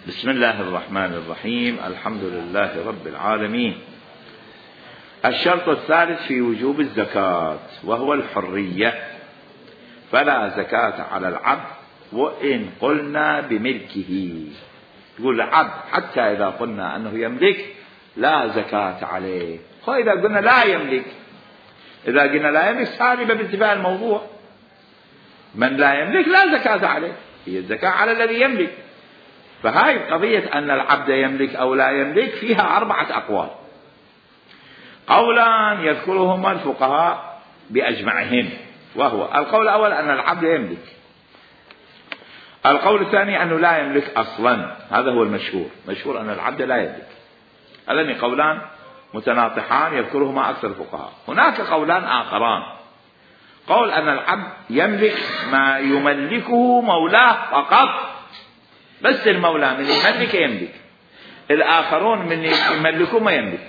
بسم الله الرحمن الرحيم. الحمد لله رب العالمين. الشرط الثالث في وجوب الزكاة وهو الحرية، فلا زكاة على العبد وإن قلنا بملكه. يقول العبد حتى إذا قلنا أنه يملك لا زكاة عليه. وإذا قلنا لا يملك، إذا قلنا لا يملك سالبة بانتفاء الموضوع. من لا يملك لا زكاة عليه، هي الزكاة على الذي يملك. فهاي قضية أن العبد يملك أو لا يملك فيها 4 أقوال. قولان يذكرهما الفقهاء بأجمعهم، وهو القول الأول أن العبد يملك، القول الثاني أنه لا يملك أصلا، هذا هو المشهور، مشهور أن العبد لا يملك. هذان قولان متناطحان يذكرهما أكثر الفقهاء. هناك قولان آخران، قول أن العبد يملك ما يملكه مولاه فقط، بس المولى من يملك يملك، الآخرون من يملكه ما يملك.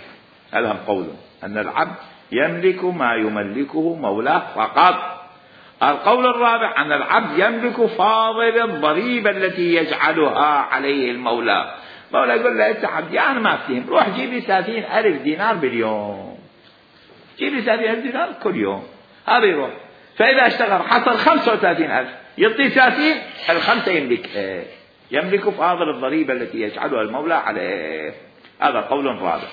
هذا هم قولهم أن العبد يملك ما يملكه مولاه فقط. القول الرابع أن العبد يملك فاضل الضريبة التي يجعلها عليه المولى. المولى يقول له أنت عبدي أنا ما أفتهم، روح جيب لي 30,000 دينار باليوم، جيب لي 30,000 دينار كل يوم. هذا يروح، فإذا اشتغل حصل 35,000 يعطي 30، الخمسة يملكها، يملك فاضل الضريبة التي يجعلها المولى عليه. هذا قول رابع.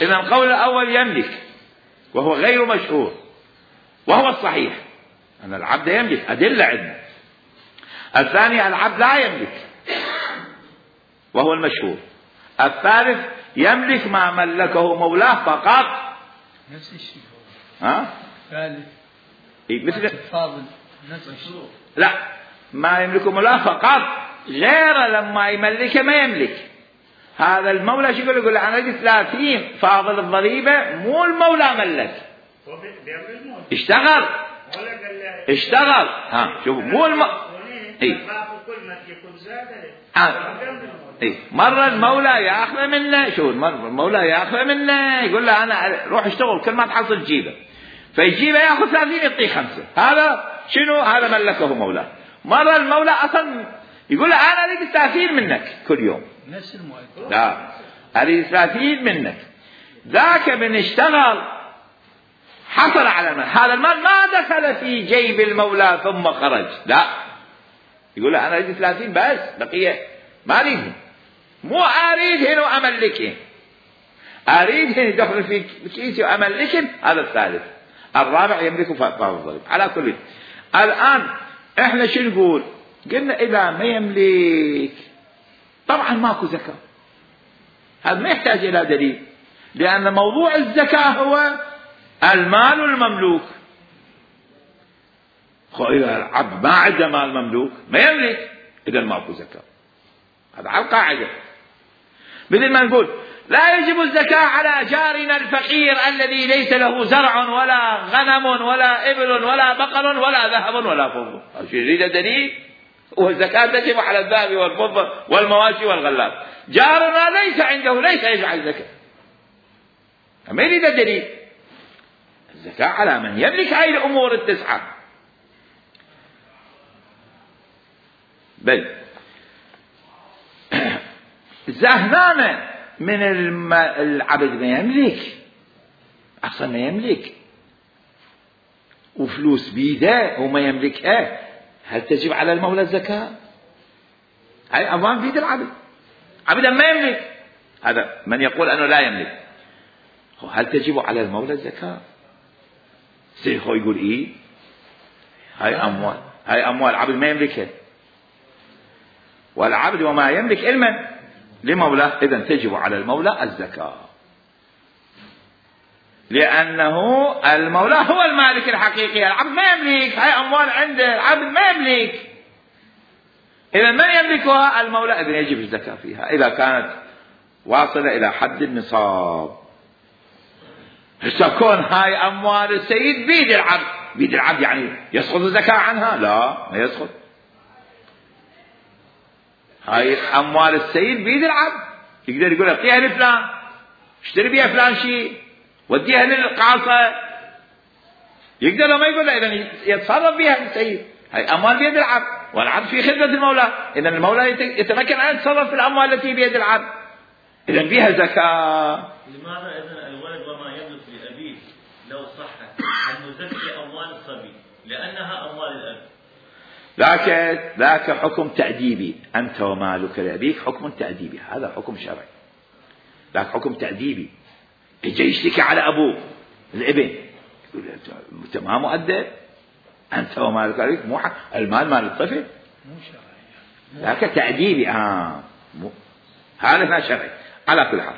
إذن القول الأول يملك وهو غير مشهور، وهو الصحيح أن العبد يملك، أدلة عندنا. الثاني العبد لا يملك وهو المشهور. الثالث يملك ما ملكه مولاه فقط، نفس الشيء. ثالث مثل فاضل نفس الشيء. لا، ما يملكه مولاه فقط، غير لما يملكه ما يملك. هذا المولى شو يقول أنا أجي 30 فاضل الضريبة، مو المولى ملك، اشتغل شوف مو مرة المولى ياخذ منه، شو المولى ياخذ منه يقول له أنا روح اشتغل كل ما تحصل جيبه، فيجيبه ياخذ 30 يعطيه 5. هذا شنو؟ هذا ملكه مولاه. مرة المولى أصلا يقول له أنا أريد 30 منك كل يوم، نفس المؤكد، لا أريد 30 منك. ذاك من اشتغل حصل على المال، هذا المال ما دخل في جيب المولى ثم خرج، لا، يقول له أنا أريد 30 بس، بقية ما أريد، مو أريد هنا أملكه، أريد هنا يدخل في كيسي وأملكه. هذا الثالث. الرابع يملك فاضل الضريب. على كل الآن إحنا شو نقول؟ قلنا إذا ما يملك طبعا ماكو زكاة، هذا ما يحتاج إلى دليل، لأن موضوع الزكاة هو المال المملوك. إذا العبد ما عنده مال مملوك ما يملك، إذا ماكو زكاة. هذا على القاعدة. مثل ما نقول لا يجب الزكاة على جارنا الفقير الذي ليس له زرع ولا غنم ولا إبل ولا بقر ولا ذهب ولا فضة. يريد دليل؟ والزكاة تجب على الذهب والفضة والمواشي والغلات. جارنا ليس عنده، ليس يجعل زكاة، ما يريد دليل. الزكاة على من يملك هاي الأمور ال9. بل زهنانة من العبد ما يملك، أصلا ما يملك، وفلوس بيده وما يملكها، هل تجب على المولى الزكاة؟ هاي أموال بيد العبد، عبدا ما يملك. هذا من يقول أنه لا يملك، هل تجب على المولى الزكاة؟ سيخو يقول إيه؟ هاي أموال عبد ما يملكها، والعبد وما يملك علما لمولاه، إذن تجب على المولى الزكاة، لأنه المولى هو المالك الحقيقي، العبد ما يملك، هاي أموال عنده، العبد ما يملك. إذا من يملكها؟ المولى، إذن يجب الزكاة فيها إذا كانت واصلة إلى حد النصاب. كون هاي أموال السيد بيد العبد، بيد العبد يعني يسقط الزكاة عنها؟ لا، ما يسقط. هاي أموال السيد بيد العبد، يقدر يقول اعطيها لفلان، اشتري بيها فلان شيء، وديها للقاصة، يقدر ما يقول له، إذن يتصرف بها السيد. هاي أموال بيد العبد. والعبد في خدمة المولى. إذا المولى يتمكن أن يتصرف في الأموال التي بيد العبد، إذا فيها زكاة. لماذا إذن الولد وما يملك لأبيه لو صح أن نزكي أموال الصبي لأنها أموال الأب؟ ذاك حكم تأديبي. أنت ومالك لأبيك حكم تأديبي، هذا حكم شرعي. ذاك حكم تأديبي. يجي يشتكي على أبوه الابن، يقول أنت ما مؤدب، أنت ومالك لأبيك، مو المال مال الطفل، مو شرعي، ذاك تأديبي. هذا ما شرعي. على كل حال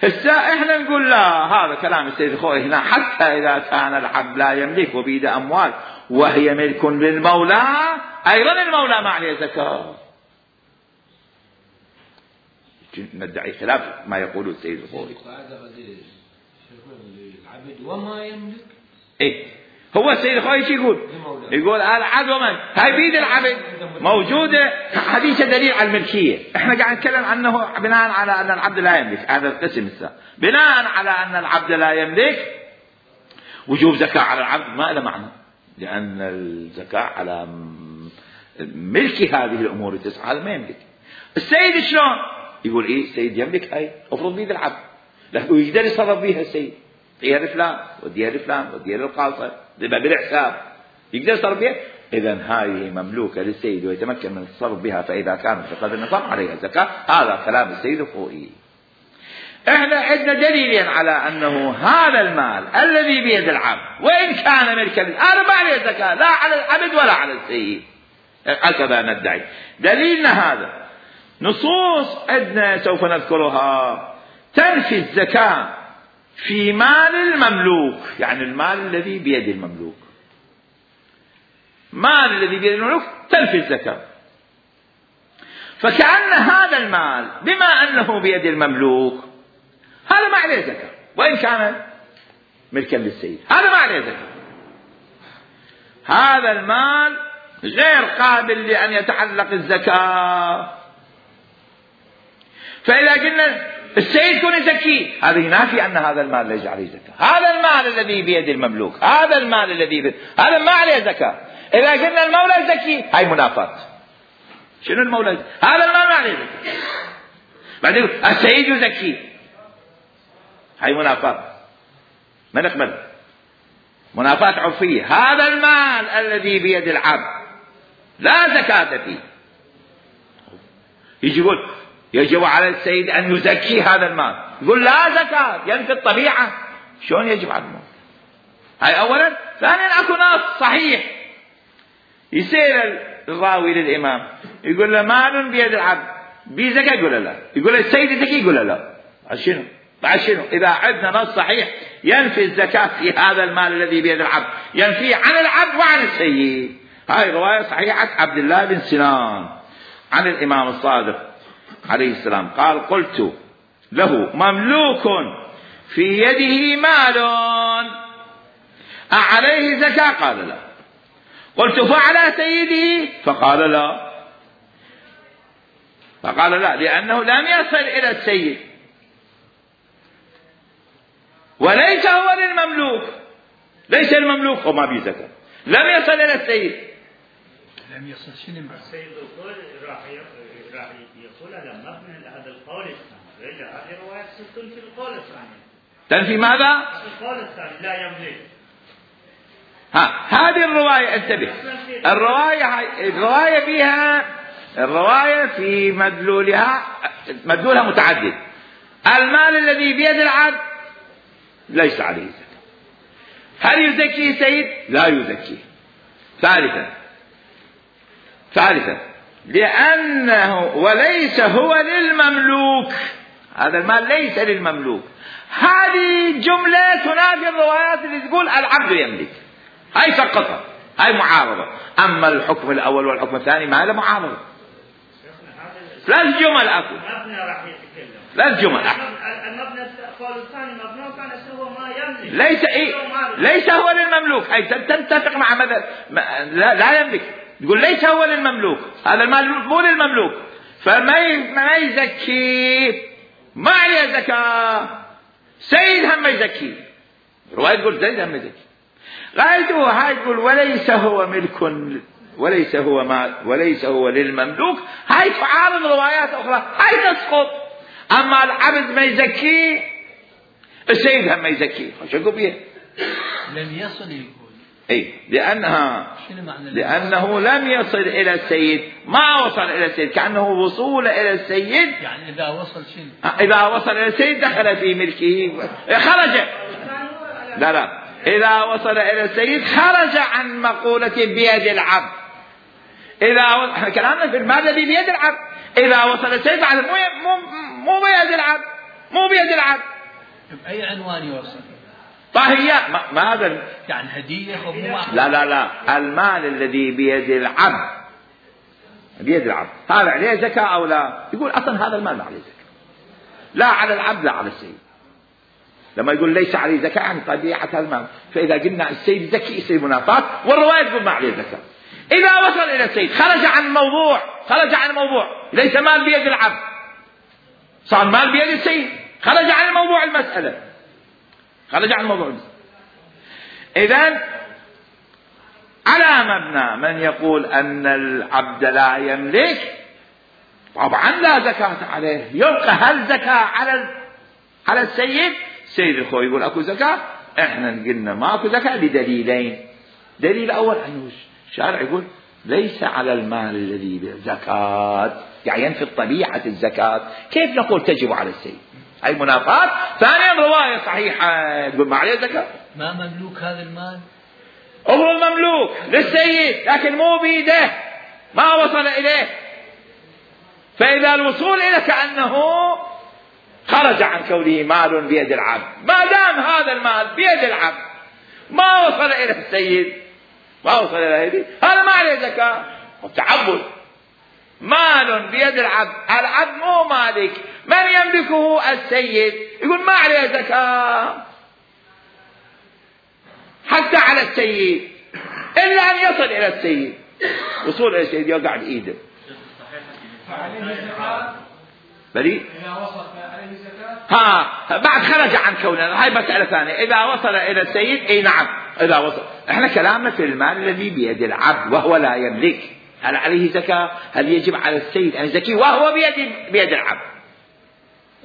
هسه احنا نقول لا، هذا كلام السيد الخوئي هنا، حتى إذا كان العبد لا يملك وبيد أموال وهي ملك للمولى، أيضا المولى ما عليه زكاة. ندعي خلاف ما يقوله السيد الخوئي. العبد وما يملك. إيه هو السيد الخوئي شو يقول العبد ومن هاي بيد العبد موجودة حديث دليل على الملكية. احنا قاعد نتكلم عنه بناء على أن العبد لا يملك، هذا القسم الثاني. بناء على أن العبد لا يملك وجوب زكاة على العبد ما له معنى، لأن الزكاة على ملك هذه الأمور التسعة، هذا ما يملك. السيد شلون يقول إيه السيد يملك، هاي أفرض بيد العبد لكن يقدر يصرف بيها السيد، يعطيها لفلان وديها لفلان وديها للقاصر بالحساب، يقدر يصرف بها. إذا هذه مملوكة للسيد ويتمكن من التصرف بها، فإذا كانت بقدر النصاب عليها زكاة. هذا كلام السيد الخوئي. احنا عندنا دليلين على أنه هذا المال الذي بيد العبد وإن كان ملكا هذا ما عليه زكاة، لا على العبد ولا على السيد، هكذا ندعي. دليلنا هذا نصوص عندنا سوف نذكرها تنفي الزكاة في مال المملوك، يعني المال الذي بيد المملوك، مال الذي بيد المملوك تنفي الزكاة. فكأن هذا المال بما أنه بيد المملوك هذا ما عليه زكاة، وإن كان ملكا للسيد هذا ما عليه زكاة. هذا المال غير قابل لأن يتعلق الزكاة. فإذا قلنا السيد يكون يزكيه، هذا ينافي أن هذا المال ليس عليه زكاة. هذا المال الذي بيد المملوك، هذا المال الذي بيد هذا ما عليه زكاة. إذا قلنا المولى يزكيه هاي منافاة. شنو المولى؟ هذا المال ما عليه زكاة. بعدين السيد يزكيه، هاي منافاة ما نقبل، منافاة عرفية. هذا المال الذي بيد العبد لا زكاة فيه، يجي يقول يجب على السيد أن يزكي هذا المال، يقول لا زكاة، ينفي الطبيعة. شلون يجب على المال؟ هاي أولا. ثانيا أكو نص صحيح يسير الراوي للإمام يقول له مال بيد العبد بزكاة، يقول لا. يقول السيد زكي، يقول لا. شنو؟ بعد شنو؟ إذا عندنا نص صحيح ينفي الزكاة في هذا المال الذي بيد العبد، ينفي عن العبد وعن السيد. هاي رواية صحيحة عبد الله بن سنان عن الإمام الصادق عليه السلام قال قلت له مملوك في يده مال أعليه زكاة؟ قال لا. قلت فعلى سيده؟ فقال لا. فقال لا لأنه لم يصل إلى السيد وليس هو للمملوك، ليس المملوك وما به زكاة، لم يصل إلى السيد. لم يصل شنو السيد القول راح يقول هذا مبني هذا القول الثاني، رجع هذه رواية تنفي القول الثاني. تنفي ماذا؟ القول الثاني لا يملك. هذه الرواية انتبه، الرواية فيها الرواية في مدلولها متعدد. المال الذي بيد العبد ليس عليه زكاة. هل يزكيه سيد؟ لا يزكيه. ثالثا لأنه وليس هو للمملوك، هذا المال ليس للمملوك. هذه جملة تنافي الروايات اللي تقول العبد يملك، هاي سقطها، هاي معارضة. أما الحكم الأول والحكم الثاني ما له معارضة. ثلاث جمل أكو، ثلاث جمل. المبنى القول الثاني مبنى كان هو ما يملك، ليس هو للمملوك. أي تتفق مع ماذا؟ لا يملك، يقول ليس هو للمملوك، هذا المال مو للمملوك، فما يزكي، ما عليه زكاة. سيد هم يزكي، رواية تقول سيد هم يزكي. غايته هاي تقول وليس هو ملك وليس هو للمملوك، هاي تعارض روايات أخرى، هاي تسقط. أما العبد ما يزكيه، السيد هم ما يزكيه، شو بيه؟ لم يصل يقول. أي لأنه لم يصل إلى السيد، ما وصل إلى السيد، كأنه وصول إلى السيد. يعني إذا وصل شنو؟ إذا وصل إلى السيد دخل في ملكه، خرج. لا إذا وصل إلى السيد خرج عن مقولة بيد العبد. احنا كلامنا في المال الذي بيد العبد، إذا وصل السيد بعد مو بيد العبد، مو بيد العبد. بأي عنوان يوصل؟ طاهية ما هذا يعني هدية أو لا المال الذي بيد العبد، بيد العبد هذا عليه زكاة أو لا؟ يقول أصلا هذا المال ما عليه زكاة، لا على العبد لا على السيد. لما يقول ليس عليه زكاة عن طبيعة هذا المال، فإذا قلنا السيد زكي يصير منافاة، والرواية تقول ما عليه زكاة. إذا وصل إلى السيد خرج عن الموضوع، ليس مال بيد العبد، صار مال بيد السيد، خرج عن موضوع المسألة. إذن على مبنى من يقول أن العبد لا يملك، طبعا لا زكاة عليه، يبقى هل زكاة على السيد؟ سيد الخوي يقول أكو زكاة، إحنا قلنا ما أكو زكاة لدليلين. دليل أول أنه الشارع يقول ليس على المال الذي بزكاة، يعني ينفي طبيعة الزكاة، كيف نقول تجب على السيد؟ هاي منافاة. ثانيا رواية صحيحة تقول ما عليه زكاة. ما مملوك هذا المال؟ هو المملوك للسيد لكن مو بيده، ما وصل إليه. فإذا الوصول إليه كأنه خرج عن كونه مال بيد العبد، ما دام هذا المال بيد العبد ما وصل إلى السيد، ما وصل إلى هذه، هذا ما عليه زكاة. تعبد مال بيد العبد، العبد مو مالك، من يملكه السيد، يقول ما عليه زكاة حتى على السيد، إلا أن يصل إلى السيد. وصول إلى السيد يقع بإيده. بلي إذا وصل عليه زكاة. بعد خرج عن كونه، هاي مسألة ثانية. إذا وصل إلى السيد، أي نعم إذا وصل. إحنا كلامنا في المال الذي بيد العبد وهو لا يملك، هل عليه زكاة؟ هل يجب على السيد أن يزكيه وهو بيد العبد؟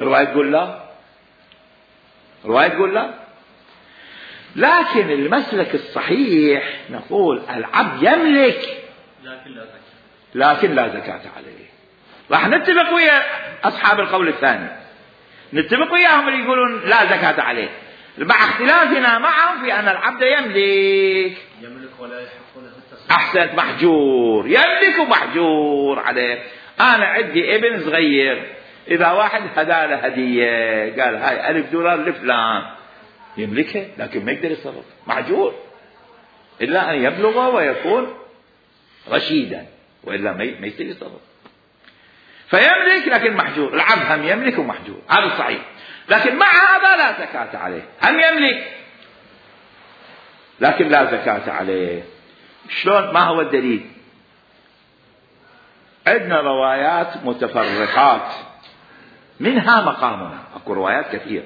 الرواية تقول لا. لكن المسلك الصحيح نقول العبد يملك لكن لا زكاة عليه. راح نتفق ويا أصحاب القول الثاني، نتفق وياهم اللي يقولون لا زكاة عليه، مع اختلافنا معهم في أن العبد يملك ولا يحق له التصرف. أحسنت، محجور، يملك ومحجور عليه. أنا عندي ابن صغير، إذا واحد هدى له هدية قال هاي $1000 لفلان، يملكه لكن ما يقدر يتصرف، محجور إلا أن يبلغ ويكون رشيدا، وإلا ما يقدر يتصرف. فيملك لكن محجور. العبد هم يملك ومحجور، هذا الصحيح. لكن مع هذا لا زكاة عليه، هم يملك لكن لا زكاة عليه. شلون؟ ما هو الدليل؟ عندنا روايات متفرقات، منها مقامنا، اكو روايات كثير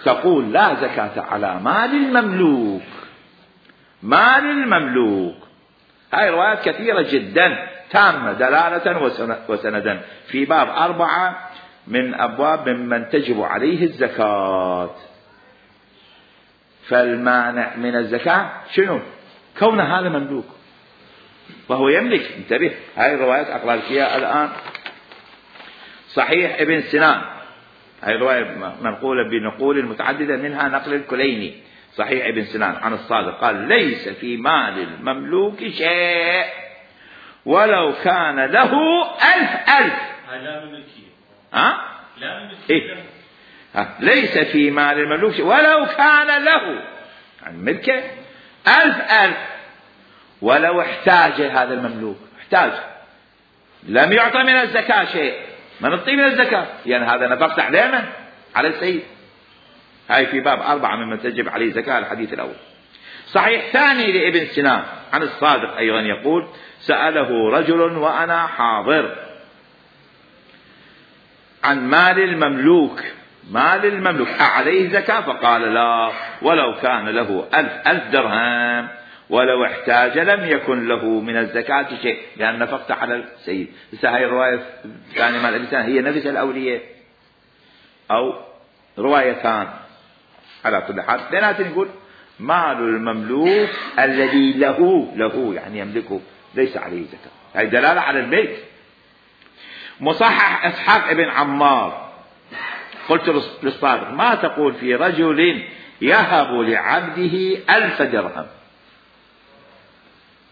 تقول لا زكاة على مال المملوك. هاي روايات كثيرة جدا تامة دلالة وسندا في باب 4 من أبواب ممن تجب عليه الزكاة. فالمانع من الزكاة شنو؟ كون هذا مملوك وهو يملك. انتبه، هاي الروايات أقرأ لك إياها الآن. صحيح ابن سنان، هاي الرواية منقولة بنقول متعددة، منها نقل الكليني. صحيح ابن سنان عن الصادق قال ليس في مال المملوك شيء ولو كان له 1000. لا ملكية. لا ملكية. ليس في مال المملوك شيء ولو كان له عن ملكه 1000 ولو احتاج هذا المملوك، احتاج لم يعطى من الزكاة شيء، ما نعطيه من الزكاة، يعني هذا نفقت علينا على السيد. هاي في باب 4 ممن تجب عليه زكاة، الحديث الأول. صحيح ثاني لابن سنان عن الصادق أيضا يقول سأله رجل وأنا حاضر عن مال المملوك أعليه زكاة؟ فقال لا، ولو كان له 1000 درهم ولو احتاج لم يكن له من الزكاة شيء لأن نفقت على السيد. بس هاي الرواية الثانية مال أبي سلمة هي نفس الأولية أو روايتان. على كل حال لأننا نقول مال المملوك الذي له يعني يملكه ليس عليه زكاة. هاي دلالة على الملك. مصحح إسحاق ابن عمار قلت للصادق ما تقول في رجل يهب لعبده 1000 درهم.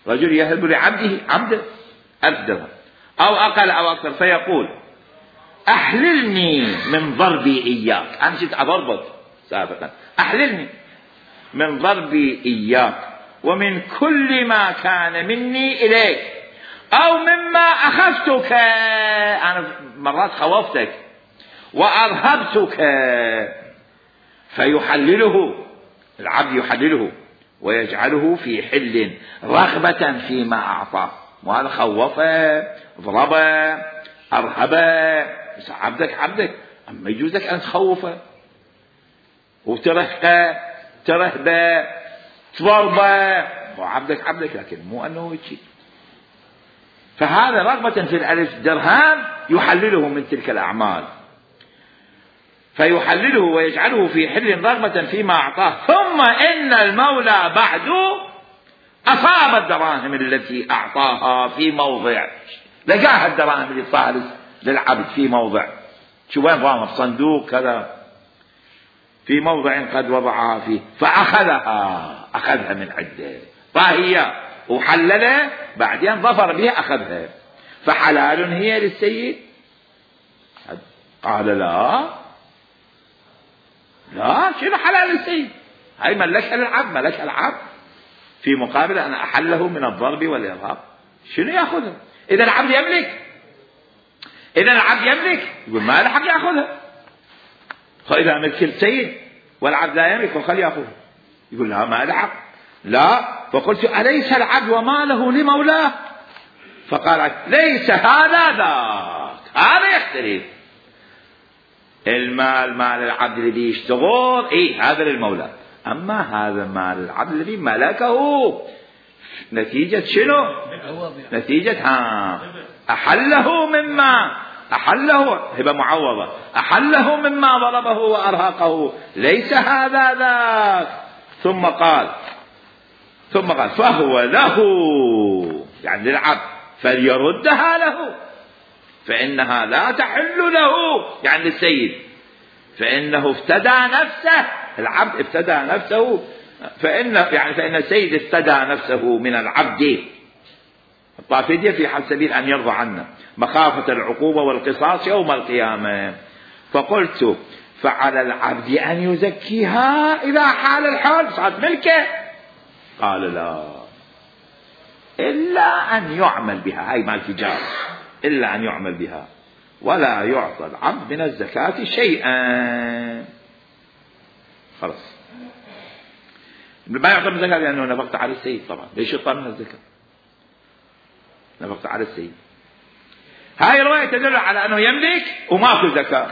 رجل يهب لعبده 1000 درهم أو أقل أو أكثر فيقول أحللني من ضربي إياك. أنا كنت أضربك سابقا أحللني من ضربي إياك ومن كل ما كان مني إليك أو مما أخذتك. أنا مرات خوفتك وأرهبتك. فيحلله العبد يحلله ويجعله في حل رغبة فيما أعطاه. وهذا خوفه ضربه أرهبه. بس عبدك أما يجوزك أن تخوفه وترهقه ترهبه تضربه. وعبدك لكن مو أنه يجي. فهذا رغبة في 1000 درهم يحلله من تلك الأعمال. فيحلله ويجعله في حل رغبة فيما أعطاه. ثم إن المولى بعد أصاب الدراهم التي أعطاها في موضع. لقاها الدراهم اللي صارت للعبد في موضع. شو وين ضامن في صندوق كذا في موضع قد وضعها فيه فأخذها من عنده طاهية وحللها بعدين ظفر بها أخذها. فحلال هي للسيد؟ قال لا شنو حلال للسيد؟ هاي ملكها العبد في مقابل أن أحله من الضرب والإرهاب. شنو يأخذها؟ إذا العبد يملك يقول ما له حق يأخذها. فإذا ملك السيد والعبد لا يملك وخل يأخذها يقول لا ما له حق. لا. فقلت أليس العبد وماله لمولاه؟ فقال ليس هذا ذاك. هذا يختلف. المال مال العبد الذي يشتغل هذا للمولى. أما هذا مال العبد الذي ملكه نتيجة شنو؟ نتيجة أحله هبة معوضة. أحله مما ضربه وأرهقه ليس هذا ذاك. ثم قال فهو له يعني للعبد فليردها له فإنها لا تحل له يعني للسيد. فإنه افتدى نفسه. العبد افتدى نفسه فإن السيد افتدى نفسه من العبد. الطافية في حال سبيل أن يرضى عنا مخافة العقوبة والقصاص يوم القيامة. فقلت فعلى العبد أن يزكيها إذا حال الحال صارت ملكه. قال لا إلا أن يعمل بها. هاي مال تجارة. إلا أن يعمل بها ولا يعطى العبد من الزكاة شيئا. خلاص ما يعطى من الزكاة لأنه نفقت على السيد. طبعا ليش يعطى من الزكاة؟ نفقت على السيد. هاي رواية تدل على أنه يملك وماكو زكاة.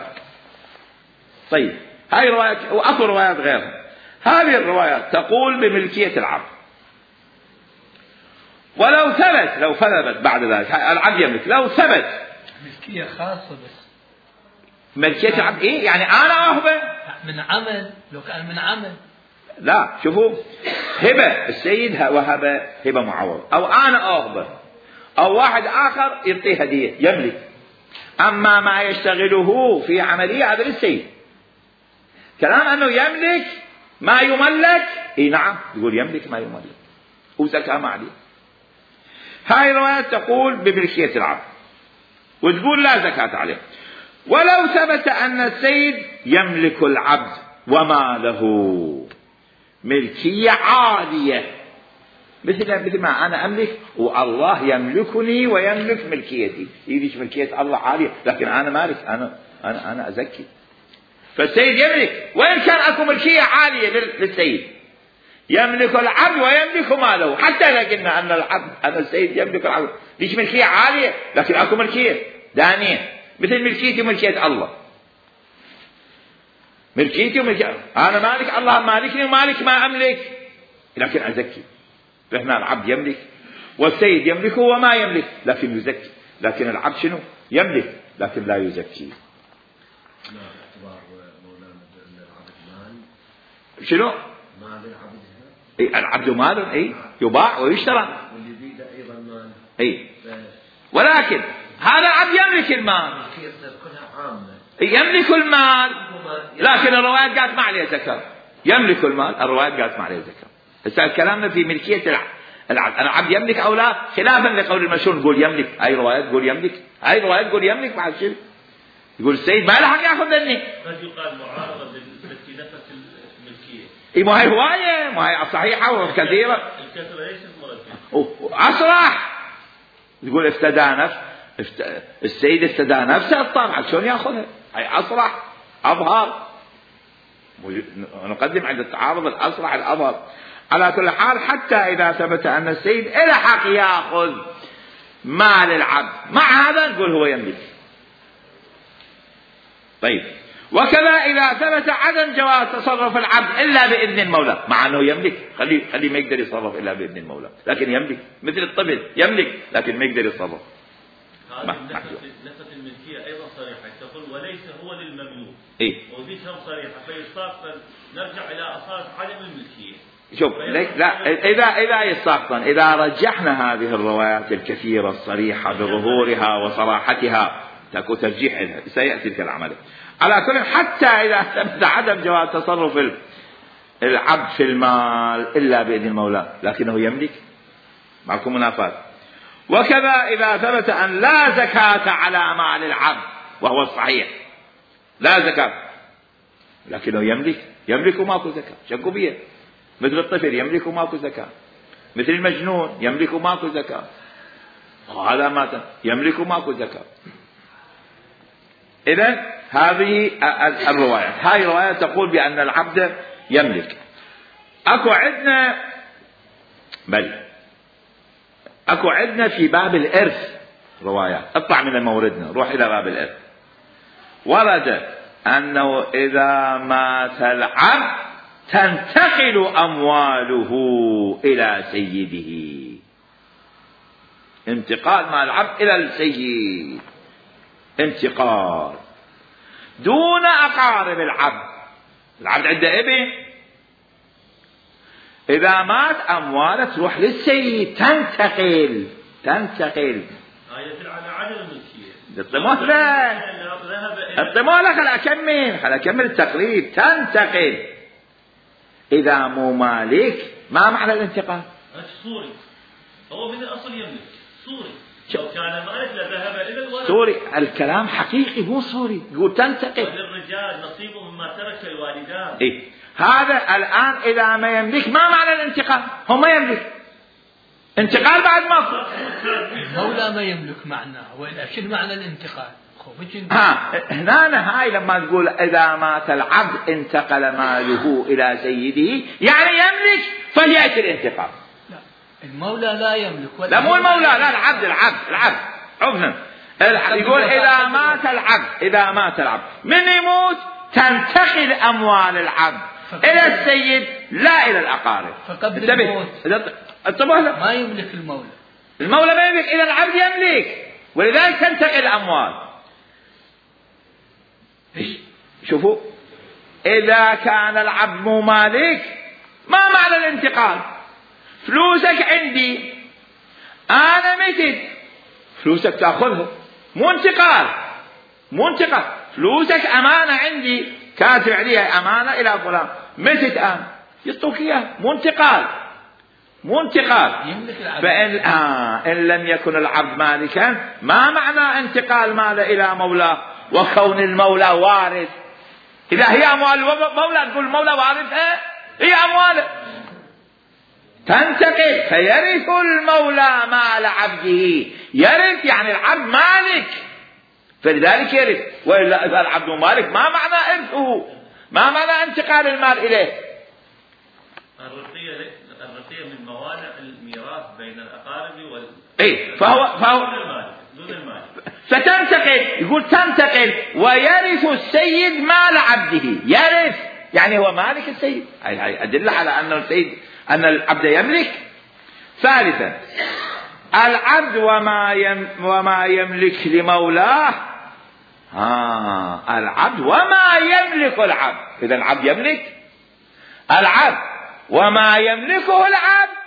طيب هاي رواية وأكو روايات غيرها. هذه الروايات تقول بملكية العبد. ولو ثبت بعد ذلك العبد يملك. لو ثبت ملكية خاصة بس ملكية العبد يعني أنا أهبه من عمل. لو كان من عمل لا. شوفوا هبة السيد وهبة هبة معوض أو أنا أهبه أو واحد آخر يعطيه هدية يملك. أما ما يشتغله في عملية هذا للسيد. كلام أنه يملك ما يملك نعم يقول يملك ما يملك وزكاة ما عليه. هاي الروايات تقول بملكية العبد وتقول لا زكاة عليه. ولو ثبت أن السيد يملك العبد وما له ملكية عالية مثل ما أنا أملك والله يملكني ويملك ملكيتي. يديش ملكية الله عالية لكن أنا مالك. أنا أزكي. فالسيد يملك وإن كان أكو ملكية عالية للسيد. يملك العبد ويملك ماله. حتى لقلنا أن السيد يملك العبد ليش ملكية عالية لكن أكو ملكية دانية مثل ملكيتي وملكية الله. ملكيتي وملكية أنا مالك الله مالكني ومالك ما أملك لكن أزكي. فهنا العبد يملك والسيد يملك وما يملك لكن يزكي، لكن العبد شنو؟ يملك لكن لا يزكي. شنو؟ مال العبد. العبد مال يباع ويشترى. واليزيد ايضا مال. ولكن هذا العبد يملك المال. كلها عامة. يملك المال لكن الروايات قالت ما عليه زكاة. يملك المال، الروايات قالت ما عليه زكاة. هسه كلامنا في ملكية العبد. العبد يملك او لا، خلافا لقول المشهور نقول يملك، هاي روايات تقول يملك، هاي روايات تقول يملك بعد شيء. يقول السيد ما له حق ياخذ مني. قد يقال معارضة في نفس الملكية. ما هي هواية، ما هي صحيحة وكثيرة. الكثرة ليست مرتبة. أصرح يقول افتدى نفسه، السيد افتدى نفسه الطبع شلون ياخذها؟ هي أصرح أظهر. نقدم عند التعارض الأصرح الأظهر. على كل حال حتى إذا ثبت أن السيد إلى حق يأخذ مال العبد، مع هذا نقول هو يملك. طيب، وكذا إذا ثبت عدم جواز تصرف العبد إلا بإذن المولى، مع أنه يملك، خلي ما يقدر يتصرف إلا بإذن المولى، لكن يملك مثل الطفل يملك لكن ما يقدر يتصرف. هذه نفس الملكية أيضا صريحة، تقول وليس هو للمملوك. وذيك هم صريحة، فيستقبل نرجع إلى أصالة عدم الملكية. شوف لا إذا يستقبل، إذا رجحنا هذه الروايات الكثيرة الصريحة بظهورها وصراحتها تكون ترجيح لها، سيأتي تلك العملية. على كل حتى إذا ثبت عدم جواز تصرف العبد في المال إلا بإذن المولى لكنه يملك، معكم منافات. وكذا إذا ثبت أن لا زكاة على مال العبد، وهو الصحيح لا زكاة لكنه يملك وماكو زكاة، شكوا بيه. مثل الطفل يملك وماكو زكاة، مثل المجنون يملك وماكو زكاة، وهذا مات يملك وماكو زكاة. إذن هذه الروايات، هاي الروايات تقول بأن العبد يملك. أكو عندنا في باب الإرث روايات، اطلع من موردنا روح إلى باب الإرث. ورد أنه إذا مات العبد تنتقل أمواله إلى سيده، انتقال مال العبد إلى السيد، انتقال دون أقارب العبد. العبد عنده ابن، إذا مات أمواله تروح للسيد، تنتقل. هاي يدل على عدم الملكية. الطموح خل أكمل التقريب. تنتقل إذا مو مالك، ما معنى الانتقال؟ صوري، هو من الأصل يملك صوري، لو كان مالك لذهب إلى الولد. صوري، الكلام حقيقي مو صوري. يقول تنتقل. وللرجال نصيب مما ترك الوالدان. هذا الآن إذا ما يملك، ما معنى الانتقال؟ هو ما يملك، انتقال بعد ما المولى ما يملك معناه، وإلا شنو معنى الانتقال؟ هنا هاي لما تقول إذا مات العبد انتقل ماله إلى سيده، يعني يملك فليأتي الانتقال. لا، المولى لا يملك. لا مو المولى، لا العبد عفوا. يقول إذا مات العبد من يموت تنتقل أموال العبد إلى السيد لا إلى الأقارب. فقبل الموت ما يملك المولى ما يملك، إذا العبد يملك، ولذلك تنتقل الأموال. شوفوا، إذا كان العبد مو مالك، ما معنى الانتقال؟ فلوسك عندي، أنا متت، فلوسك تأخذها، مو انتقال. فلوسك أمانة عندي، كاتب عليها أمانة إلى فلان، متت أنا يعطوك إياه، مو انتقال. فإن إن لم يكن العبد مالكا، ما معنى انتقال ماله إلى مولاه وكون المولى وارث؟ إذا هي أموال المولى تقول المولى وارثها، هي أمواله تنتقل، فيرث المولى مال عبده. يرث يعني العبد مالك، فلذلك يرث. وإلا إذا العبد مالك ما معنى إرثه، ما معنى انتقال المال إليه. الرقية من موانع الميراث بين الأقارب فهو دون المال. فتنتقل، يقول تنتقل ويرث السيد مال عبده. يرث يعني هو مالك السيد. هاي أدل على أن السيد، أن العبد يملك. ثالثا العبد وما يملك لمولاه. العبد وما يملك العبد، إذا العبد يملك، العبد وما يملكه العبد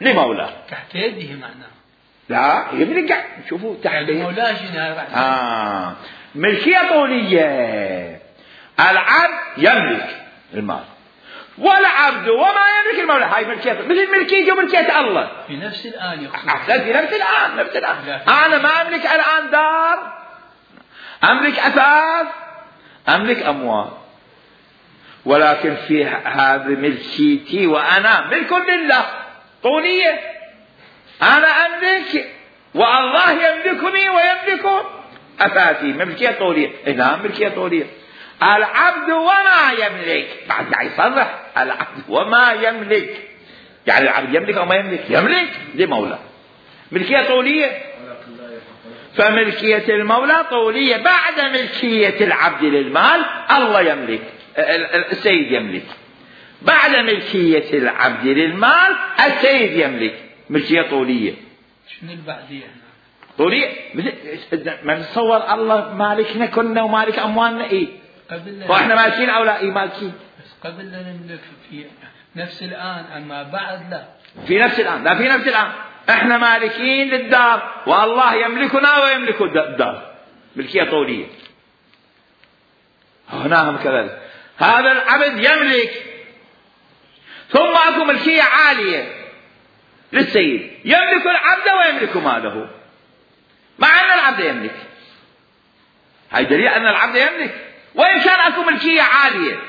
لمولاه تحت يده معناه. لا يملك، شوفوا تحت مولاه. ملكية طولية. العبد يملك المال والعبد وما يملك المولى، هاي ملكية مثل ملكية وملكية الله في نفس الآن يقصد. في نفس الآن. أنا ما أملك الآن دار، أملك أثاث، أملك أموال، ولكن في هذه ملكيتي وأنا ملك لله طولية. أنا أملك والله يملكني ويملك أثاثي، ملكية طولية. إذا ملكية طولية. العبد وما يملك، بعد يعني يصرح العبد وما يملك، يعني العبد يملك أو ما يملك؟ يملك لمولاه، ملكية طولية. فملكية المولى طولية. بعد ملكية العبد للمال الله يملك، السيد يملك. بعد ملكية العبد للمال السيد يملك، ملكية طولية. شنو البعدية؟ طولية ما نتصور الله مالكنا كنا ومالك أموالنا. إيه فإحنا مالكين أو لا؟ إيه مالكين. بس قبل لا نملك في نفس الآن، أما بعد لا. في نفس الآن، لا في نفس الآن إحنا مالكين للدار والله يملكنا ويملك الدار، ملكية طولية. هنا هم كذلك، هذا العبد يملك، ثم أكو ملكية عالية للسيد، يملك العبد ويملك ماله، مع أن العبد يملك. هاي دليل أن العبد يملك وإن كان أكو ملكية عالية.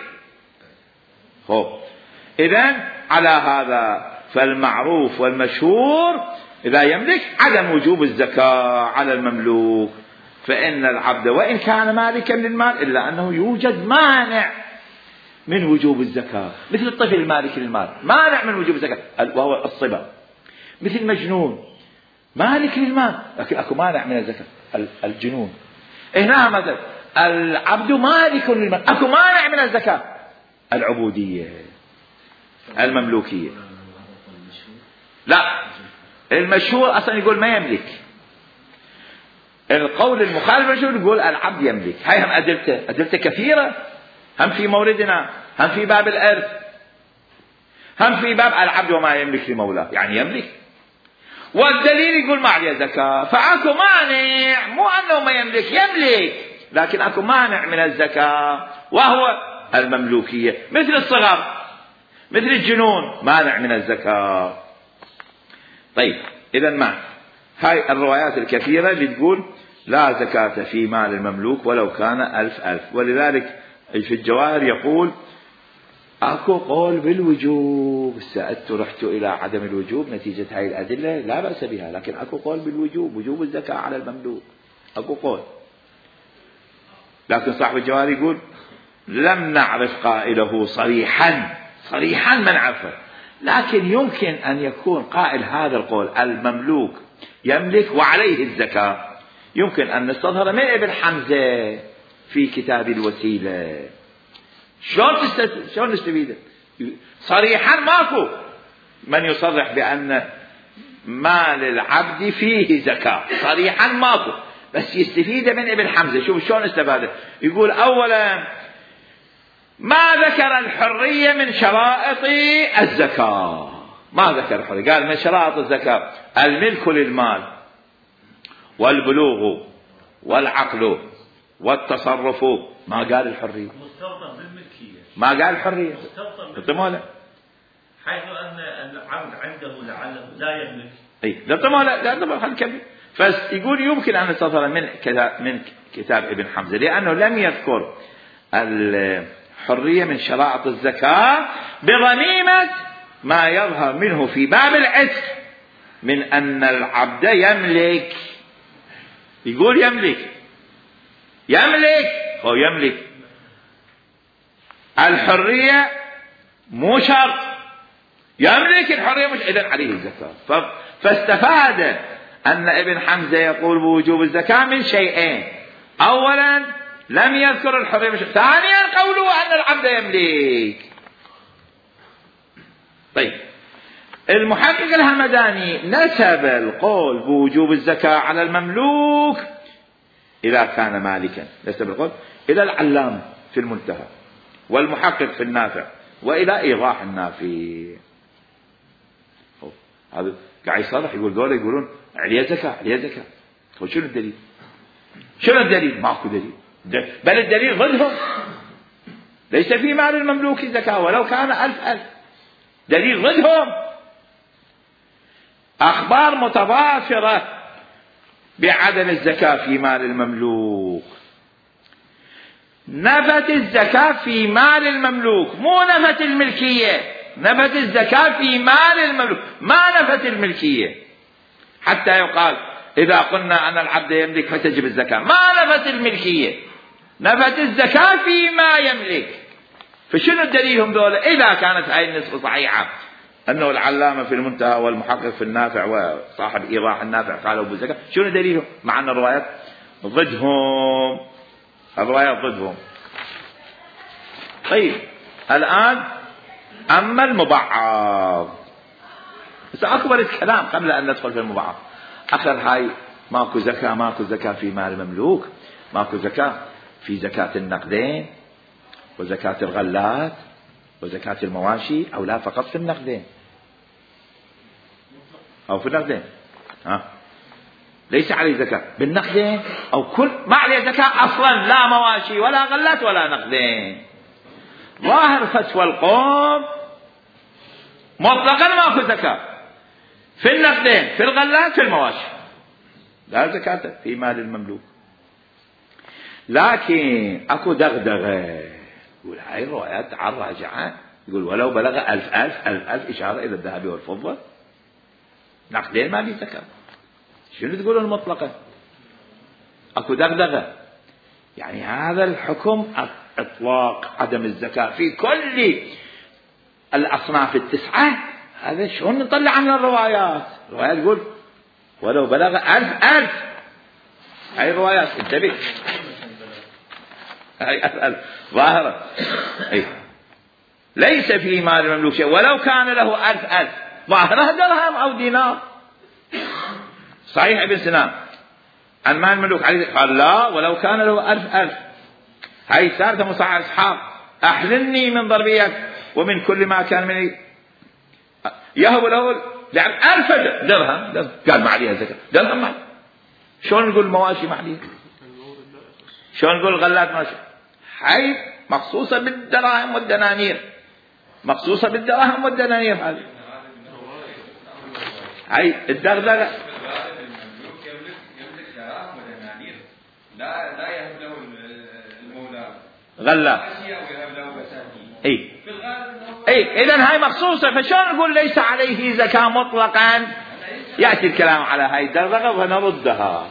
إذن على هذا فالمعروف والمشهور إذا يملك عدم وجوب الزكاة على المملوك، فإن العبد وإن كان مالكا للمال إلا أنه يوجد مانع من وجوب الزكاة، مثل الطفل المالك للمال مانع من وجوب الزكاة وهو الصبا، مثل مجنون مالك للمال لكن أكو مانع من الزكاة، الجنون. هنا مثلا العبد مالك للمال أكو مانع من الزكاة، العبودية المملوكية. لا المشهور أصلا يقول ما يملك، القول المخالف المشهور يقول العبد يملك. هاي هم أدلته كثيرة، هم في موردنا، هم في باب الإرث، هم في باب العبد وما يملك لمولاه، يعني يملك. والدليل يقول ما عليه زكاة، فأكو مانع، مو أنه ما يملك، يملك لكن أكو مانع من الزكاة وهو المملوكية، مثل الصغر مثل الجنون مانع من الزكاة. طيب إذا ما هاي الروايات الكثيرة اللي تقول لا زكاة في مال المملوك ولو كان 1000. ولذلك في الجواهر يقول أكو قول بالوجوب، سألت رحت إلى عدم الوجوب نتيجة هاي الأدلة لا بأس بها، لكن أكو قول بالوجوب، وجوب الزكاة على المملوك، أكو قول. لكن صاحب الجواهر يقول لم نعرف قائله صريحا ما نعرفه، لكن يمكن أن يكون قائل هذا القول المملوك يملك وعليه الزكاة يمكن أن نستظهر من ابن حمزة في كتاب الوسيلة. شلون نستفيد؟ صريحا ماكو من يصرح بأن مال العبد فيه زكاة، صريحا ماكو، بس يستفيد من ابن حمزة. شوف شلون استفاده، يقول أولا ما ذكر الحرية من شرائط الزكاة، ما ذكر الحرية، قال من شرائط الزكاة الملك للمال والبلوغ والعقل والتصرف، ما قال الحرية، مستوطن بالملكية، ما قال الحرية، مستوطن حيث أن العبد عنده لعله لا يملك. اي لا خلينا نكمل. فيقول يمكن أن نستظهر من كتاب ابن حمزة لأنه لم يذكر الحرية من شرائط الزكاة بضميمة ما يظهر منه في باب العتق من أن العبد يملك. يقول يملك الحرية مو شرط، يملك الحرية مش إذن عليه الزكاة. فاستفاد أن ابن حمزة يقول بوجوب الزكاة من شيئين، أولا لم يذكر الحرية مش، ثانيا قوله أن العبد يملك. طيب المحقق الهمداني نسب القول بوجوب الزكاة على المملوك إذا كان مالكا، نسب القول إلى العلامة في المنتهى والمحقق في النافع وإلى إيضاح النافي. هذا قاعد يصرح يقول دول يقولون عليه زكاة عليه زكاة. شنو الدليل؟ شنو الدليل؟ ماكو دليل، بل الدليل ضدهم. ليس في مال المملوك زكاة ولو كان 1000 دليل ضدهم. أخبار متضافرة بعدم الزكاة في مال المملوك. نفت الزكاة في مال المملوك، مو نفت الملكية، نفت الزكاة في مال المملوك، ما نفت الملكية. حتى يقال إذا قلنا أن العبد يملك فتجب الزكاة، ما نفت الملكية، نفت الزكاة فيما يملك. فشنو دليلهم دولة إذا كانت هاي النسبة صحيحة أنه العلامة في المنتهى والمحقق في النافع وصاحب إيضاح النافع قالوا بالزكاة؟ شنو دليلهم؟ مع أن الروايات ضدهم، الروايات ضدهم. طيب الآن أما المبعض، سأكبر الكلام قبل أن ندخل في المبعض. أخر هاي ماكو زكاة، ماكو زكاة في مال المملوك، ماكو زكاة في زكاة النقدين وزكاة الغلات وزكاة المواشي، أو لا فقط في النقدين أو في النقدين؟ ليس عليه زكاة بالنقدين أو كل ما عليه زكاة أصلا، لا مواشي ولا غلات ولا نقدين. ظاهر فتوى القوم مطلقا ماكو زكاة في النقدين في الغلات في المواشي، لا زكاة في مال المملوك. لكن أكو دغدغة، يقول هاي الروايات عن راجعة، يقول ولو بلغ 1000 إشارة إلى الذهب والفضة، نقدين ما لي زكاة. شنو تقولون المطلقة؟ أكو دغدغة، يعني هذا الحكم إطلاق عدم الزكاة في كل الأصناف التسعة، هذا شلون نطلع عنه الروايات؟ الروايات تقول ولو بلغ 1000 هاي الروايات، انتبه، هاي 1000 ظاهرة. ليس في مال المملوك شيء ولو كان له 1000 ظاهرة درهم أو دينار. صحيح ابن سنان عن مال المملوك عليه قال لا ولو كان له 1000. هاي ثالثة مصعب إسحاق أحلني من ضربيك ومن كل ما كان مني، يهب له يعني 1000 درهم، قال ما عليها زكاة، درهم ما. شلون نقول مواشي ما عليها؟ شلون نقول غلات ماشي؟ هاي مخصوصة بالدراهم والدنانير، مخصوصة بالدراهم والدنانير. هاي الدغدغة. لا يهب له المولى غلات. إذن هاي مخصوصة، فشلون نقول ليس عليه زكاة مطلقا؟ يأتي الكلام على هاي الدغدغة ونردها.